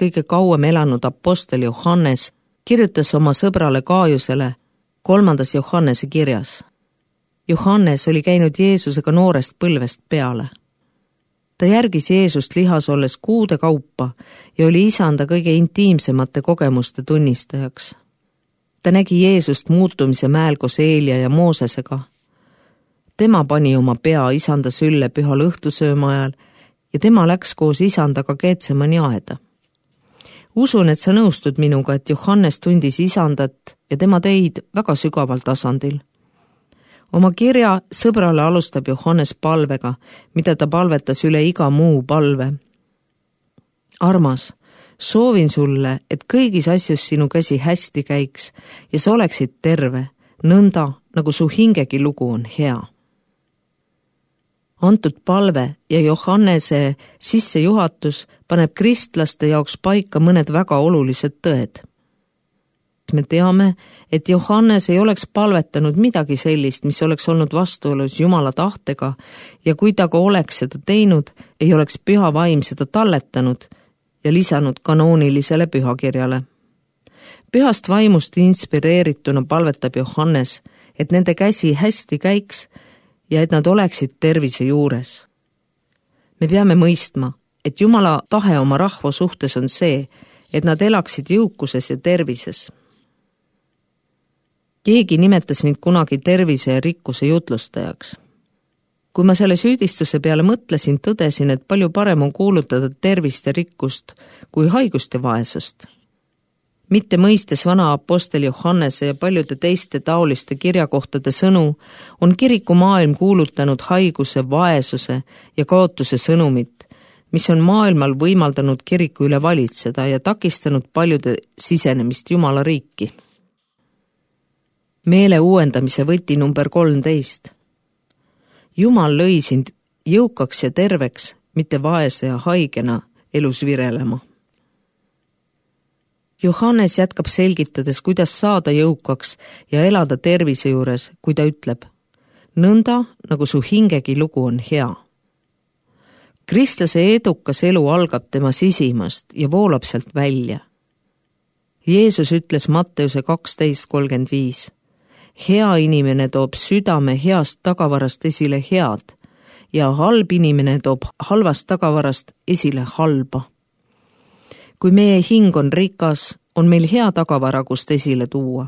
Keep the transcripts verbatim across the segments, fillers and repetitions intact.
kõige kauem elanud apostel Johannes kirjutas oma sõbrale Gaaiusele kolmandas Johannese kirjas. Johannes oli käinud Jeesusega noorest põlvest peale. Ta järgis Jeesust lihas olles kuude kaupa ja oli isanda kõige intiimsemate kogemuste tunnistajaks. Ta nägi Jeesust muutumise mäel koos Eelia ja Moosesega. Tema pani oma pea isanda sülle pühal õhtusööma ajal ja tema läks koos isandaga Getsemani aeda. Usun, et sa nõustud minuga, et Johannes tundis isandat ja tema teid väga sügaval tasandil. Oma kirja sõbrale alustab Johannes palvega, mida ta palvetas üle iga muu palve. Armas, soovin sulle, et kõigis asjus sinu käsi hästi käiks ja sa oleksid terve, nõnda nagu su hingegi lugu on hea. Antud palve ja Johannese sissejuhatus paneb kristlaste jaoks paika mõned väga olulised tõed. Me teame, et Johannes ei oleks palvetanud midagi sellist, mis oleks olnud vastuolus Jumala tahtega ja kui ta ka oleks seda teinud, ei oleks püha vaim seda talletanud ja lisanud kanoonilisele pühakirjale. Pühast vaimust inspireerituna palvetab Johannes, et nende käsi hästi käiks ja et nad oleksid tervise juures. Me peame mõistma, et Jumala tahe oma rahva suhtes on see, et nad elaksid jõukuses ja tervises. Keegi nimetas mind kunagi tervise ja rikkuse jutlustajaks. Kui ma selle süüdistuse peale mõtlesin, tõdesin, et palju parem on kuulutada tervist ja rikkust kui haigust ja vaesust. Mitte mõistes vana apostel Johannese ja paljude teiste taoliste kirjakohtade sõnu, on kirikumaailm kuulutanud haiguse, vaesuse ja kaotuse sõnumit, mis on maailmal võimaldanud kiriku üle valitseda ja takistanud paljude sisenemist Jumala riiki. Meele uuendamise võti number kolmteist. Jumal lõi sind jõukaks ja terveks, mitte vaese ja haigena elus virelema. Johannes jätkab selgitades, kuidas saada jõukaks ja elada tervise juures, kui ta ütleb, nõnda nagu su hingegi lugu on hea. Kristlase edukas elu algab tema sisimast ja voolab sealt välja. Jeesus ütles Matteuse kaksteist kolmkümmend viis. Hea inimene toob südame heast tagavarast esile head ja halb inimene toob halvast tagavarast esile halba. Kui meie hing on rikas, on meil hea tagavara, kust esile tuua.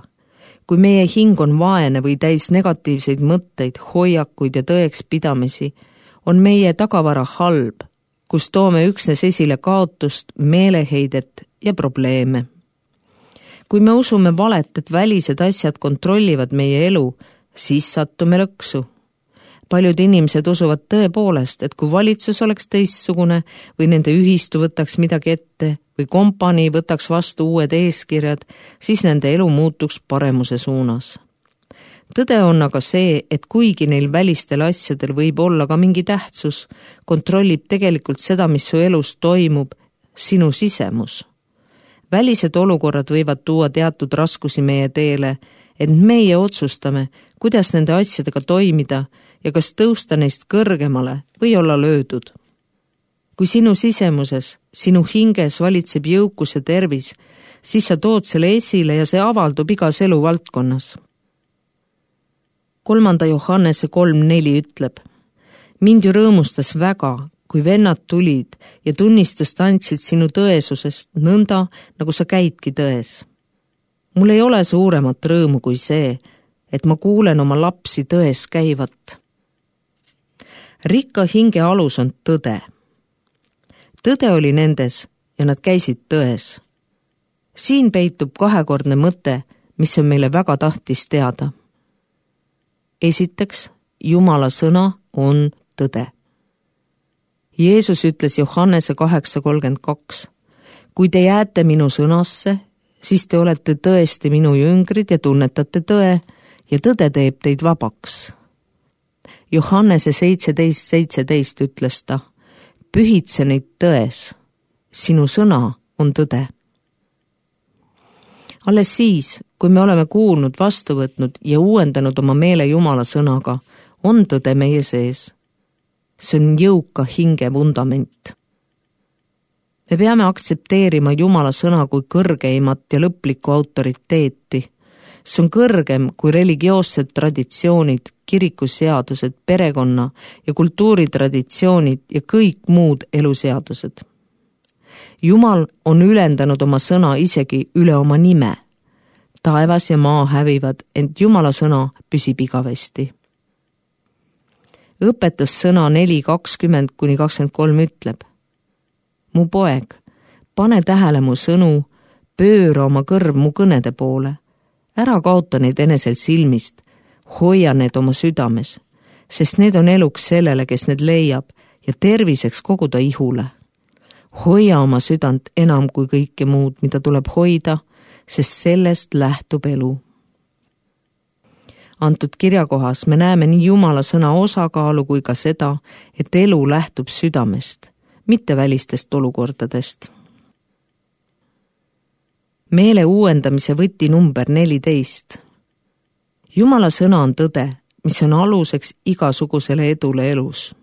Kui meie hing on vaene või täis negatiivseid mõtteid, hoiakuid ja tõeks pidamisi, on meie tagavara halb, kus toome üksnes esile kaotust, meeleheidet ja probleeme. Kui me usume valet, et välised asjad kontrollivad meie elu, siis sattume lõksu. Paljud inimesed usuvad tõepoolest, et kui valitsus oleks teistsugune või nende ühistu võtaks midagi ette või kompanii võtaks vastu uued eeskirjad, siis nende elu muutuks paremuse suunas. Tõde on aga see, et kuigi neil välistel asjadel võib olla ka mingi tähtsus, kontrollib tegelikult seda, mis su elus toimub, sinu sisemus. Välised olukorrad võivad tuua teatud raskusi meie teele, et meie otsustame, kuidas nende asjadega toimida ja kas tõusta neist kõrgemale või olla löödud. Kui sinu sisemuses, sinu hinges valitseb jõukus ja tervis, siis sa tood selle esile ja see avaldub igas elu valdkonnas. Kolmanda Johannese kolm neli ütleb, mind ju rõõmustas väga, kui vennad tulid ja tunnistust andsid sinu tõesusest nõnda, nagu sa käidki tões. Mul ei ole suuremat rõõmu kui see, et ma kuulen oma lapsi tões käivat. Rikka hinge alus on tõde. Tõde oli nendes ja nad käisid tões. Siin peitub kahekordne mõte, mis on meile väga tahtis teada. Esiteks, Jumala sõna on tõde. Jeesus ütles Johannese kaheksa kolmkümmend kaks, kui te jääte minu sõnasse, siis te olete tõesti minu jüngrid ja tunnetate tõe ja tõde teeb teid vabaks. Johannese seitseteist seitseteist ütles ta, pühitse neid tões, sinu sõna on tõde. Alles siis, kui me oleme kuulnud, vastu võtnud ja uuendanud oma meele Jumala sõnaga, on tõde meie sees. See on jõuka hinge vundament. me peame aktsepteerima Jumala sõna kui kõrgeimat ja lõplikku autoriteeti. See on kõrgem kui religioossed traditsioonid, kirikuseadused, perekonna ja kultuuritraditsioonid ja kõik muud eluseadused. Jumal on ülendanud oma sõna isegi üle oma nime. Taevas ja maa hävivad, ent Jumala sõna püsib igavesti. Õpetussõna neli kakskümmend kuni kakskümmend kolm ütleb: mu poeg, pane tähele mu sõnu, pööra oma kõrv mu kõnede poole, ära kaota neid enesel silmist, hoia need oma südames, sest need on eluks sellele, kes need leiab, ja terviseks kogu ta ihule. Hoia oma südant enam kui kõike muud, mida tuleb hoida, sest sellest lähtub elu. Antud kirjakohas me näeme nii Jumala sõna osakaalu kui ka seda, et elu lähtub südamest, mitte välistest olukordadest. Meele uuendamise võti number neliteist. Jumala sõna on tõde, mis on aluseks igasugusele edule elus.